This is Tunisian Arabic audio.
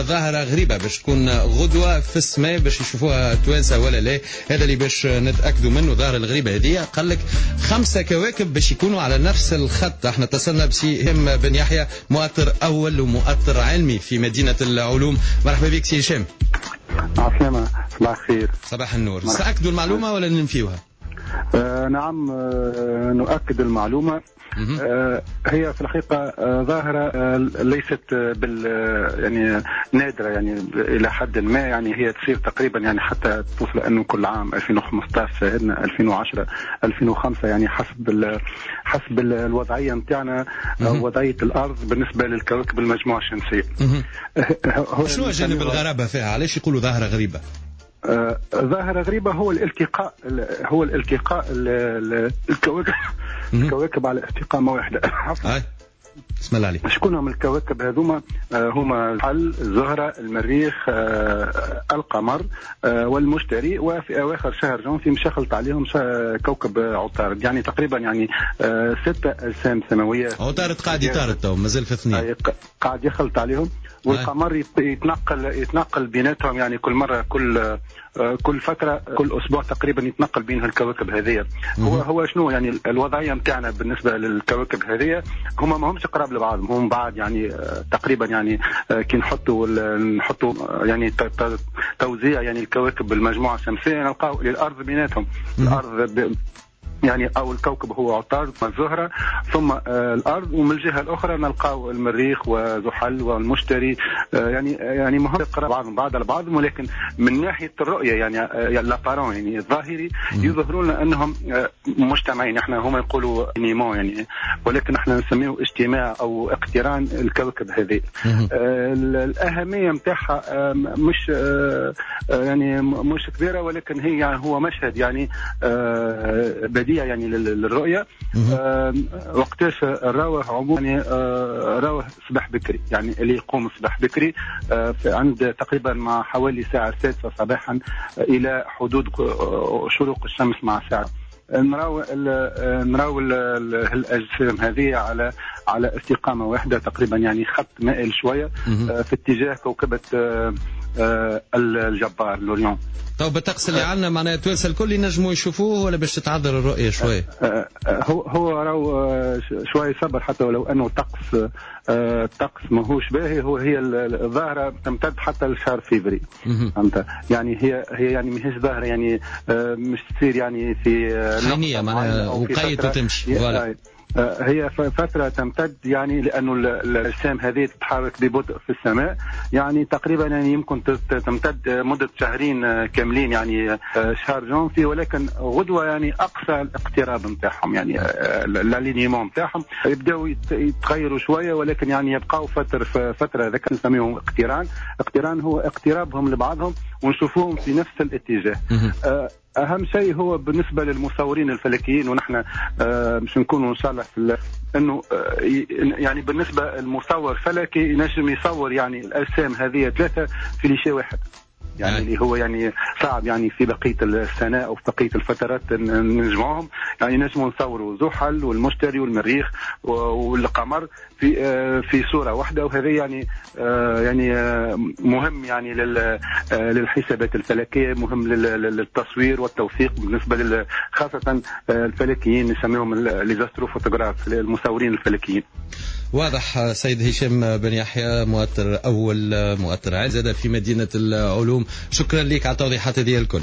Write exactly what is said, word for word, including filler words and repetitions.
ظاهرة غريبة باش تكون غدوة في السماء باش يشوفوها توانسة ولا لا؟ هذا اللي باش نتأكدوا منه. ظاهرة الغريبة هذه قال لك خمسة كواكب باش يكونوا على نفس الخط. احنا اتصلنا بسي هشام بن يحيى، مؤطر أول ومؤطر علمي في مدينة العلوم. مرحبا بك سي هشام. عسلامة، صباح الخير. صباح النور. تأكدوا المعلومة ولا ننفيوها؟ آه نعم، آه نؤكد المعلومة. آه هي في الحقيقة آه ظاهرة آه ليست بال يعني نادرة يعني إلى حد ما، يعني هي تصير تقريبا يعني حتى توصل أنه كل عام ألفين وخمسطاش شاهدنا ألفين وعشرة ألفين وخمسة، يعني حسب حسب الوضعية نتاعنا، وضعية الأرض بالنسبة للكواكب المجموعة الشمسية. شنو جانب الغرابة فيها؟ علاش يقولوا ظاهرة غريبة؟ آه ظاهرة غريبة هو الالتقاء، هو الالتقاء الكواكب الكواكب على استقامة واحدة. بسم الله عليك. شكون هم الكواكب هذوما؟ آه هما الحل، الزهرة، المريخ، آه القمر، آه والمشتري، وفي أواخر شهر جانفي مشخلت عليهم كوكب عطارد. يعني تقريبا يعني آه ستة أجسام سماوية. عطارد قاعد يطارد تو، مازال في اثنين. قاعد يخلط عليهم، والقمر يتنقل يتنقل بيناتهم، يعني كل مرة كل كل فترة كل أسبوع تقريبا يتنقل بين الكواكب هذه. هو هو شنو يعني الوضعية نتاعنا بالنسبة للكواكب هذه؟ هما ما همش قراب لبعضهم، هم بعد يعني تقريبا يعني كي نحطوا نحطوا يعني توزيع يعني الكواكب بالمجموعة الشمسية نلقاو الأرض بيناتهم. الأرض ب... يعني أو الكوكب هو عطارد والزهرة ثم الأرض، ومن الجهة الأخرى نلقاو المريخ وزحل والمشتري، يعني يعني مهم قراب بعضهم بعض على بعضهم، ولكن من ناحية الرؤية يعني l'apparent يعني الظاهري يظهرون لنا أنهم مجتمعين. احنا هما يقولوا alignement يعني، ولكن احنا نسميه اجتماع أو اقتران الكوكب هذه. الأهمية متاعها مش يعني مش كبيرة، ولكن هي يعني هو مشهد يعني بديع يعني للرؤية. آه وقتاش راوه عموما يعني آه راوه صباح بكري، يعني اللي يقوم صباح بكري آه عند تقريبا مع حوالي الساعة السادسة صباحا إلى حدود شروق الشمس مع ساعة نراو نراو الأجسام هذه على على استقامة واحدة تقريبا، يعني خط مائل شوية آه في اتجاه كوكبة آه آه الجبار l'Orion. طب بالطقس اللي عندنا معناها التوانسة الكل ينجموا يشوفوه ولا باش تتعذر الرؤية شوية؟ هو هو راهو شوية صبر، حتى ولو انه الطقس الطقس ماهوش باهي. هو هي الظاهرة تمتد حتى لشهر فيفري، فهمت؟ يعني هي هي يعني ماهيش ظاهره يعني مش تصير يعني في حينيه معناها وقيت وتمشي. voilà هي فترة تمتد يعني لأنه الأجسام هذه تتحرك ببطء في السماء، يعني تقريبا يعني يمكن تمتد مدة شهرين كاملين يعني شهر جانفي، ولكن غدوة يعني أقصى الاقتراب نتاعهم يعني l'alignement نتاعهم يبداو يتغيروا شوية، ولكن يعني يبقاو فترة فترة ذاك نسميهم اقتران. اقتران هو اقترابهم لبعضهم ونشوفوهم في نفس الاتجاه. أهم شيء هو بالنسبة للمصورين الفلكيين، ونحن مش نكونوا إن شاء الله في إنه يعني بالنسبة للمصور فلكي ينجم يصور يعني الأجسام هذه ثلاثة في ليشي واحد، يعني اللي هو يعني صعب يعني في بقية السنة أو في بقية الفترات نجمعهم. يعني نجموا نصوروا زحل والمشتري والمريخ والقمر في في صورة واحدة، وهذا يعني يعني مهم يعني للحسابات الفلكية، مهم للتصوير والتوثيق بالنسبة خاصة الفلكيين نسميهم les astrophotographes المصورين الفلكيين. واضح سيد هشام بن يحيى، مؤطر أول مؤطر عزة في مدينة العلوم، شكرا لك على التوضيحات هذه الكل.